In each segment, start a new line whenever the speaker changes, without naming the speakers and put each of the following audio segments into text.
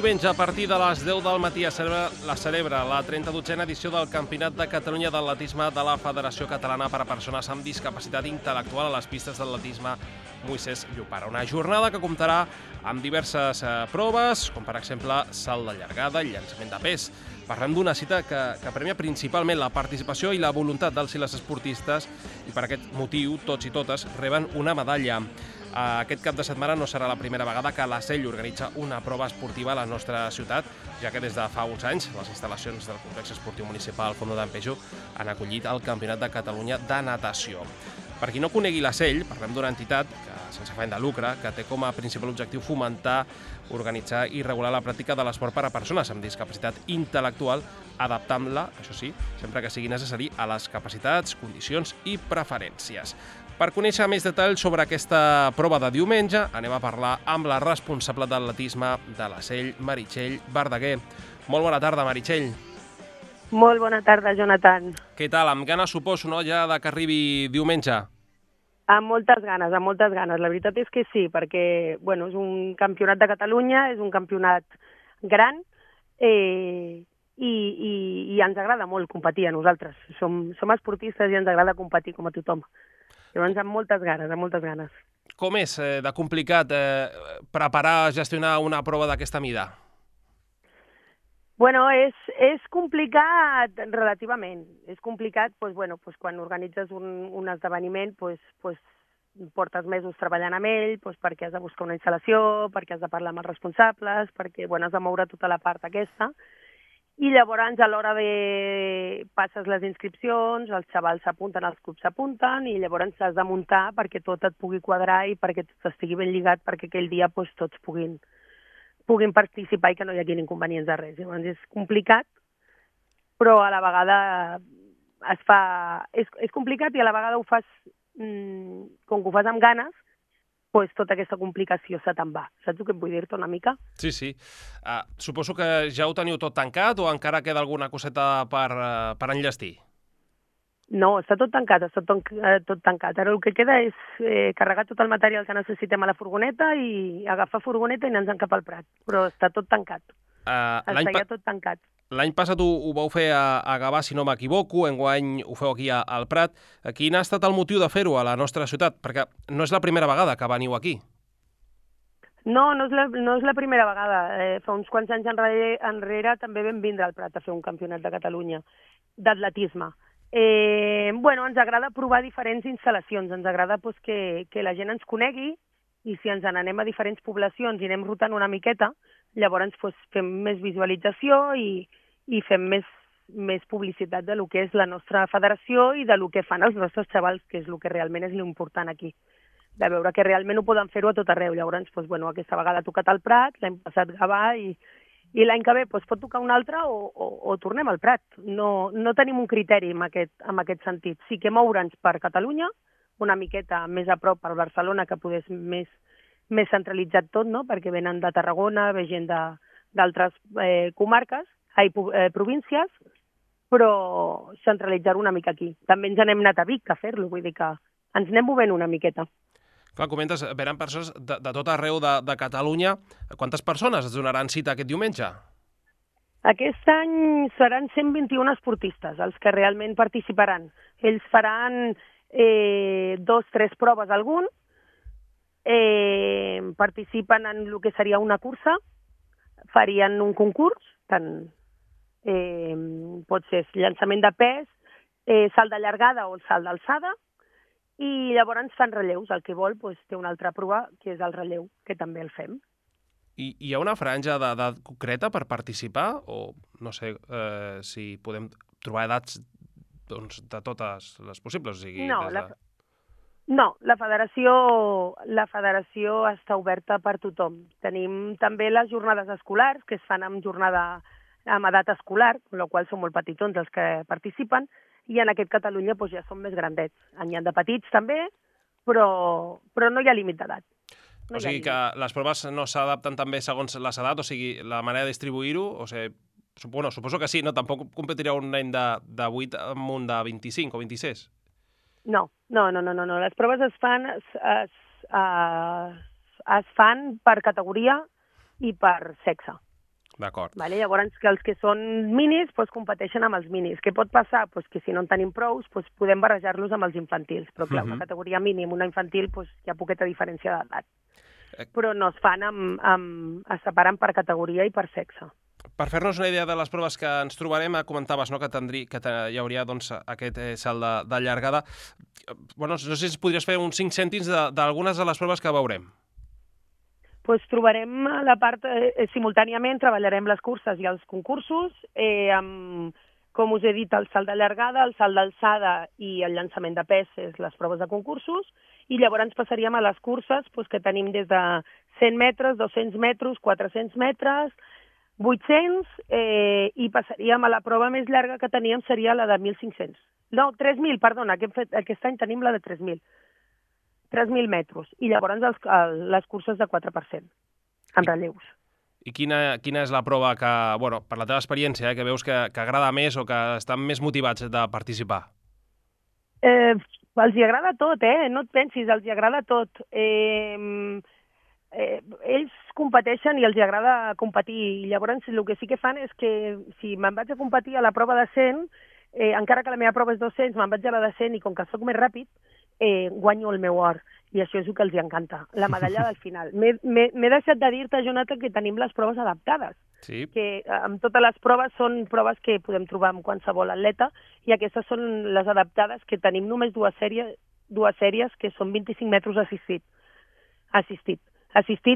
diumenge, a partir de les 10 del matí, es celebra la 32a edició del Campionat de Catalunya d'Atletisme de la Federació Catalana per a Persones amb Discapacitat Intel·lectual a les pistes d'atletisme Moisès Llopara. Una jornada que comptarà amb diverses proves, com per exemple salt de llargada i llançament de pes. Parlem d'una cita que premia principalment la participació i la voluntat dels i les esportistes i per aquest motiu tots i totes reben una medalla. Aquest cap de setmana no serà la primera vegada que la SEL organitza una prova esportiva a la nostra ciutat, ja que des de fa uns anys les instal·lacions del complex esportiu municipal Fondo d'Empéjo han acollit el Campionat de Catalunya de natació. Per qui no conegui la SEL, parlem d'una entitat sense afany de lucre que té com a principal objectiu fomentar, organitzar i regular la pràctica de l'esport per a persones amb discapacitat intel·lectual, adaptant-la, això sí, sempre que sigui necessari, a les capacitats, condicions i preferències. Per conèixer més detalls sobre aquesta prova de diumenge, anem a parlar amb la responsable d'atletisme de la SEL, Meritxell Verdaguer. Molt bona tarda, Meritxell.
Molt bona tarda, Jonathan.
Què tal? Amb ganes, suposo, no?, ja que arribi diumenge.
Amb moltes ganes, amb moltes ganes. La veritat és que sí, perquè bueno, és un campionat de Catalunya, és un campionat gran i ens agrada molt competir a nosaltres. Som esportistes i ens agrada competir com a tothom. Llavors, amb moltes ganes, amb moltes ganes.
Com és de complicat preparar, gestionar una prova d'aquesta mida?
Bueno, és complicat relativament. És complicat quan organitzes un esdeveniment, portes mesos treballant amb ell, perquè has de buscar una instal·lació, perquè has de parlar amb els responsables, perquè has de moure tota la part aquesta. I llavors, a l'hora de passes les inscripcions, els xavals s'apunten, els clubs s'apunten, i llavors has de muntar perquè tot et pugui quadrar i perquè tot estigui ben lligat, perquè aquell dia tots puguin participar i que no hi hagi inconvenients de res. Llavors és complicat, però a la vegada és complicat i a la vegada ho fas, com que ho fas amb ganes, tota aquesta complicació se te'n va. Saps el que vull dir-te una mica?
Sí, sí. Suposo que ja ho teniu tot tancat o encara queda alguna coseta per enllestir?
No, està tot tancat, tot tancat. Ara el que queda és carregar tot el material que necessitem a la furgoneta i agafar furgoneta i anar-nos cap al Prat. Però està tot tancat. Està ja tot tancat.
L'any passat ho vau fer a Gavà, si no m'equivoco, enguany ho feu aquí al Prat. Quin ha estat el motiu de fer-ho a la nostra ciutat? Perquè no és la primera vegada que veniu aquí.
No és la primera vegada. Fa uns quants anys enrere també vam vindre al Prat a fer un campionat de Catalunya d'atletisme. Ens agrada provar diferents instal·lacions, ens agrada que la gent ens conegui i si ens n'anem a diferents poblacions i anem rotant una miqueta, llavors fem més visualització i fem més publicitat de lo que és la nostra federació i de lo que fan els nostres xavals, que és el que realment és l'important aquí, de veure que realment ho poden fer-ho a tot arreu. Llavors, aquesta vegada ha tocat al Prat, l'any passat Gavà i l'any que ve pot tocar un altre o tornem al Prat. No tenim un criteri en aquest sentit. Sí que moure'ns per Catalunya, una miqueta més a prop per Barcelona, que poder més centralitzat tot, no? Perquè venen de Tarragona, ve gent d'altres províncies, però centralitzar una mica aquí. També ens n'hem anat a Vic a fer-lo, vull dir que ens anem movent una miqueta.
Clar, comentes, venen persones de tot arreu de Catalunya. Quantes persones es donaran cita aquest diumenge?
Aquest any seran 121 esportistes els que realment participaran. Ells faran 2 o 3 proves algun, participen en el que seria una cursa, farien un concurs, tant pot ser llançament de pes, salt de llargada o salt d'alçada, i llavors fan relleus. El que vol té una altra prova, que és el relleu, que també el fem.
I hi ha una franja d'edat concreta per participar? O no sé si podem trobar edats de totes les possibles? O sigui,
No, la federació està oberta per tothom. Tenim també les jornades escolars, que es fan amb edat escolar, amb la qual són molt petitons els que participen, i en aquest Catalunya ja són més grandets. N'hi ha de petits també, però no hi ha límit d'edat.
O sigui que les proves no s'adapten també segons les edats, o sigui, la manera de distribuir-ho, o sigui, suposo que sí, no? Tampoc competirà un nen de 8 amb un de 25 o 26?
No. Les proves es fan per categoria i per sexe.
D'acord.
Vale? Llavors, que els que són minis doncs, competeixen amb els minis. Què pot passar? Doncs que si no en tenim prous, doncs podem barrejar-los amb els infantils. Però clar, una categoria mini amb una infantil doncs, hi ha poqueta diferència d'edat. Però no es fan es separen per categoria i per sexe.
Per fer-nos una idea de les proves que ens trobarem, comentaves no, que hi hauria doncs, aquest salt de llargada. Bueno, no sé si podries fer uns 5 cèntims d'algunes de les proves que veurem.
Doncs trobarem la part, simultàniament treballarem les curses i els concursos, amb, com us he dit, el salt de llargada, el salt d'alçada i el llançament de peses, les proves de concursos, i llavors passaríem a les curses doncs, que tenim des de 100 metres, 200 metres, 400 metres, 800, i passaríem a la prova més llarga que teníem seria la de 1.500. No, 3.000, perdona, aquest any tenim la de 3.000. 3.000 metres, i llavors les curses de 4%, amb relleus.
I quina és la prova que, bueno, per la teva experiència, que veus que agrada més o que estan més motivats de participar?
Els hi agrada tot, no et pensis, els hi agrada tot. Ells competeixen i els hi agrada competir, i llavors el que sí que fan és que si me'n vaig a competir a la prova de 100, encara que la meva prova és 200, me'n vaig a la de 100 i com que soc més ràpid, guanyo el meu or, i això és el que els encanta, la medalla del final. M'he deixat de dir-te, Jonathan, que tenim les proves adaptades,
sí.
Que amb totes les proves són proves que podem trobar amb qualsevol atleta, i aquestes són les adaptades, que tenim només dues sèries que són 25 metres assistit,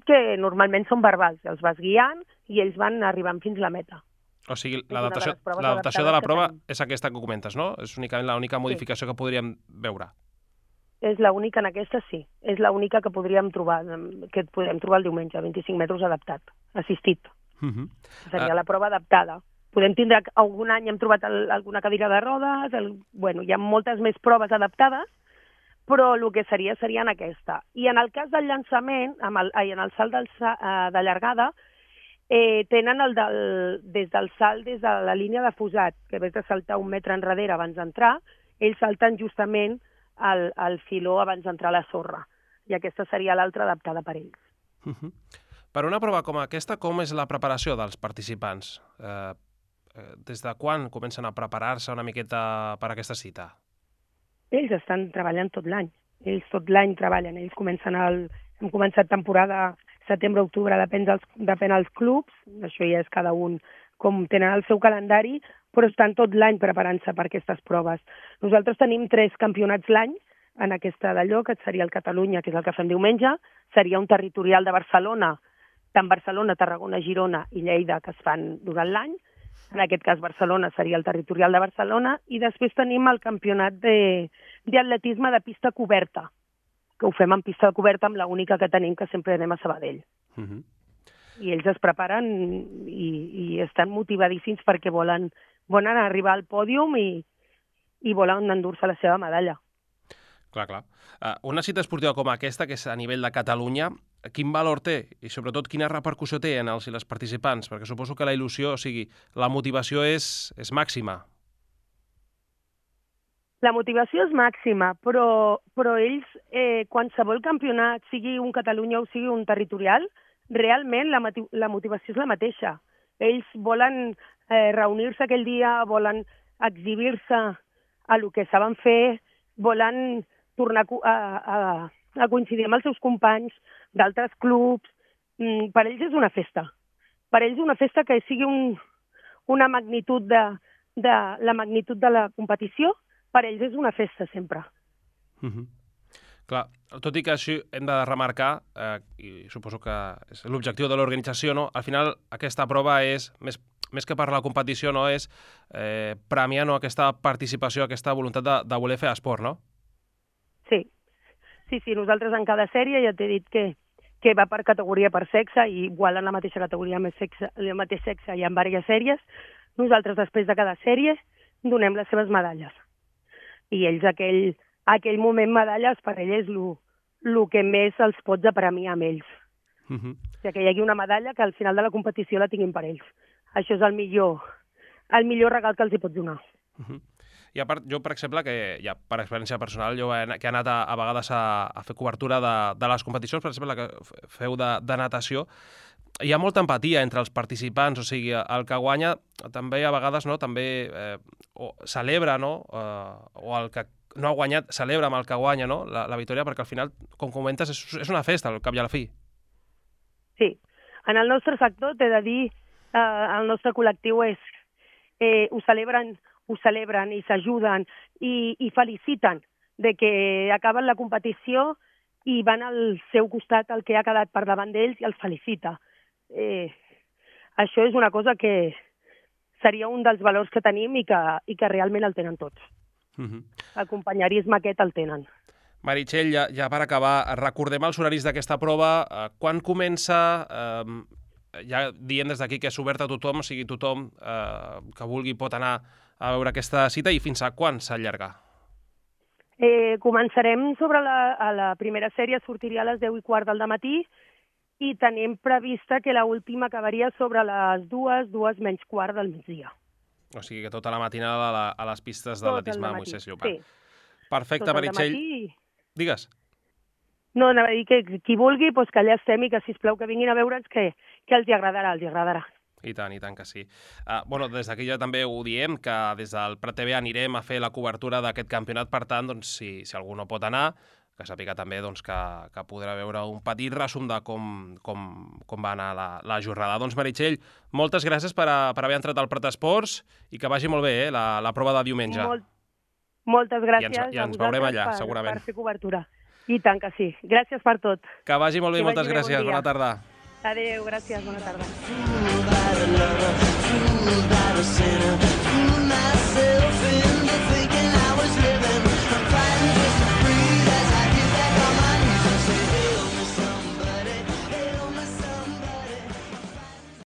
que normalment són verbals, els vas guiant i ells van arribant fins a la meta.
O sigui, l'adaptació de la prova és aquesta que comentes, no? És únicament l'única modificació que podríem veure.
És l'única en aquesta, sí. És l'única que podríem trobar, que podem trobar el diumenge, 25 metres adaptat, assistit. Seria la prova adaptada. Podem tindre, algun any hem trobat alguna cadira de rodes, bueno, hi ha moltes més proves adaptades, però el que seria en aquesta. I en el cas del llançament, en el salt de llargada, tenen des del salt, des de la línia de fusat, que ves de saltar 1 metre enrere abans d'entrar, ells salten justament al filó abans d'entrar a la sorra. I aquesta seria l'altra adaptada per ells.
Per una prova com aquesta, com és la preparació dels participants? Des de quan comencen a preparar-se una miqueta per aquesta cita?
Ells estan treballant tot l'any. Ells tot l'any treballen. Ells hem començat temporada setembre-octubre, depèn dels clubs, això ja és cada un com tenen el seu calendari, però estan tot l'any preparant-se per aquestes proves. Nosaltres tenim 3 campionats l'any en aquesta d'allò, que seria el Catalunya, que és el que fem diumenge, seria un territorial de Barcelona, tant Barcelona, Tarragona, Girona i Lleida, que es fan durant l'any. En aquest cas Barcelona seria el territorial de Barcelona, i després tenim el campionat d'atletisme de pista coberta, que ho fem en pista coberta amb l'única que tenim, que sempre anem a Sabadell. I ells es preparen i estan motivadíssims perquè volen arribar al pòdium i volen endur-se la seva medalla.
Clar. Una cita esportiva com aquesta, que és a nivell de Catalunya, quin valor té i sobretot quina repercussió té en els i les participants? Perquè suposo que la il·lusió, o sigui, la motivació és màxima.
La motivació és màxima, però ells, qualsevol campionat, sigui un Catalunya o sigui un territorial, realment la motivació és la mateixa. Ells volen reunir-se aquell dia, volen exhibir-se a lo que saben fer, volen tornar a coincidir amb els seus companys d'altres clubs. Per ells és una festa. Per ells és una festa que sigui una magnitud la magnitud de la competició, per ells és una festa sempre.
Clar, tot i que això hem de remarcar, i suposo que és l'objectiu de l'organització, no? Al final aquesta prova és, més que per la competició, no? És premiar aquesta participació, aquesta voluntat de voler fer esport, no?
Sí, nosaltres en cada sèrie ja t'he dit que va per categoria, per sexe, i igual en la mateixa categoria, el mateix sexe, hi ha diverses sèries. Nosaltres, després de cada sèrie, donem les seves medalles. I ells, aquell moment medalles, per ells és el que més els pots apremiar amb ells. Que hi hagi una medalla que al final de la competició la tinguin per ells. Això és el millor regal que els hi pots donar.
I a part, jo, per exemple, que ja per experiència personal, jo que he anat a vegades a fer cobertura de les competicions, per exemple, que feu de natació, hi ha molta empatia entre els participants, o sigui, el que guanya també a vegades també celebra, o el que no ha guanyat celebra amb el que guanya, la victòria, perquè al final, com comentes, és una festa al cap i a la fi.
Sí, en el nostre sector t'he de dir, el nostre col·lectiu ho celebren i s'ajuden i feliciten de que acaben la competició i van al seu costat el que ha quedat per davant d'ells i els felicita. Això és una cosa que seria un dels valors que tenim i que realment el tenen tots. El companyerisme aquest el tenen.
Meritxell, ja per acabar, recordem els horaris d'aquesta prova. Quan comença? Ja dient des d'aquí que és obert a tothom, o sigui, tothom que vulgui pot anar a veure aquesta cita, i fins a quan s'allarga?
Començarem a la primera sèrie, sortiria a les 10:15 del matí, i tenim prevista que l'última acabaria sobre les 2:15 del migdia.
O sigui que tota la matinada a les pistes d'atletisme de Moisès Llopart.
Sí.
Perfecte, Meritxell. Digues.
No, anava a dir que qui vulgui, que allà estem i que, sisplau, que vinguin a veure'ns, que els agradarà.
I tant que sí. Des d'aquí ja també ho diem, que des del Prat TV anirem a fer la cobertura d'aquest campionat, per tant, si algú no pot anar, que sàpiga també que podrà veure un petit resum de com va anar la jornada. Doncs, Meritxell, moltes gràcies per haver entrat al Prat Esports i que vagi molt bé la prova de diumenge.
Moltes gràcies
I ens veurem allà, segurament.
Per fer cobertura. I tant que sí. Gràcies per tot.
Que vagi molt bé, moltes gràcies. Bona tarda.
Adéu, gràcies, bona tarda.